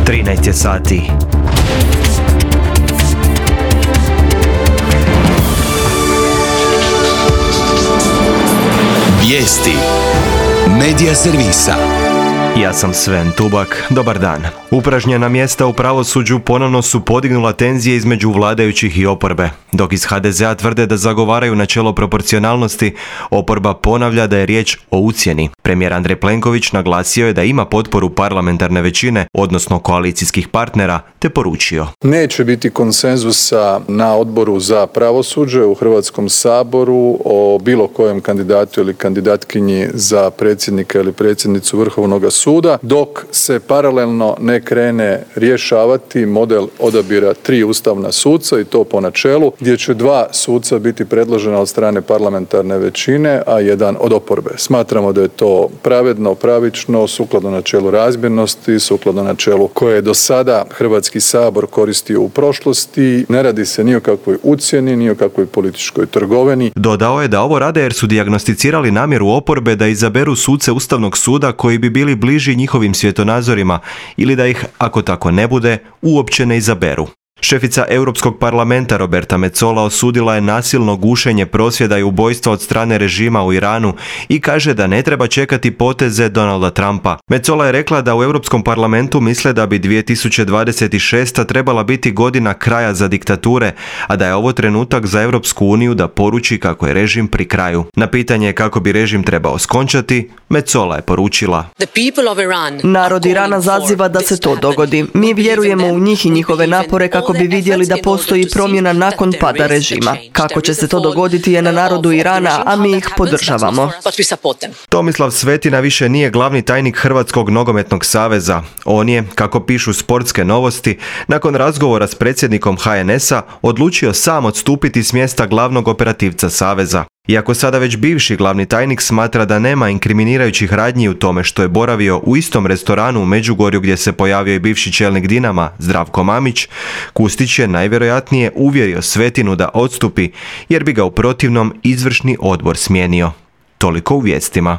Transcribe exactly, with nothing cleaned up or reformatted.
trinaest je sati. Vijesti Medija servisa. Ja sam Sven Tubak, dobar dan. Upražnjena mjesta u pravosuđu ponovno su podignula tenzije između vladajućih i oporbe. Dok iz ha de zea tvrde da zagovaraju načelo proporcionalnosti, oporba ponavlja da je riječ o ucjeni. Premijer Andrej Plenković naglasio je da ima potporu parlamentarne većine, odnosno koalicijskih partnera, te poručio: Neće biti konsenzusa na odboru za pravosuđe u Hrvatskom saboru o bilo kojem kandidatu ili kandidatkinji za predsjednika ili predsjednicu Vrhovnog suda, dok se paralelno ne krene rješavati model odabira tri ustavna suca, i to po načelu gdje će dva suca biti predložena od strane parlamentarne većine, a jedan od oporbe. Smatramo da je to pravedno, pravično, sukladno načelu razmjernosti, sukladno načelu koje je do sada Hrvatski sabor koristio u prošlosti. Ne radi se ni o kakvoj ucjeni, ni o kakvoj političkoj trgovini. Dodao je da ovo rade jer su dijagnosticirali namjeru oporbe da izaberu suce Ustavnog suda koji bi bili bliži njihovim svjetonazorima ili da ih, ako tako ne bude, uopće ne izaberu. Šefica Europskog parlamenta Roberta Metsola osudila je nasilno gušenje prosvjeda i ubojstva od strane režima u Iranu i kaže da ne treba čekati poteze Donalda Trumpa. Metsola je rekla da u Europskom parlamentu misle da bi dvije tisuće dvadeset šesta trebala biti godina kraja za diktature, a da je ovo trenutak za Europsku uniju da poruči kako je režim pri kraju. Na pitanje kako bi režim trebao skončati, Metsola je poručila: Narod Irana zaziva da se to dogodi. Mi vjerujemo u njih i njihove napore kako bi vidjeli da postoji promjena nakon pada režima. Kako će se to dogoditi je na narodu Irana, a mi ih podržavamo. Tomislav Svetina više nije glavni tajnik Hrvatskog nogometnog saveza. On je, kako pišu Sportske novosti, nakon razgovora s predsjednikom ha en es a odlučio sam odstupiti s mjesta glavnog operativca saveza. Iako sada već bivši glavni tajnik smatra da nema inkriminirajućih radnji u tome što je boravio u istom restoranu u Međugorju gdje se pojavio i bivši čelnik Dinama Zdravko Mamić, Kustić je najvjerojatnije uvjerio Svetinu da odstupi jer bi ga u protivnom izvršni odbor smijenio. Toliko u vijestima.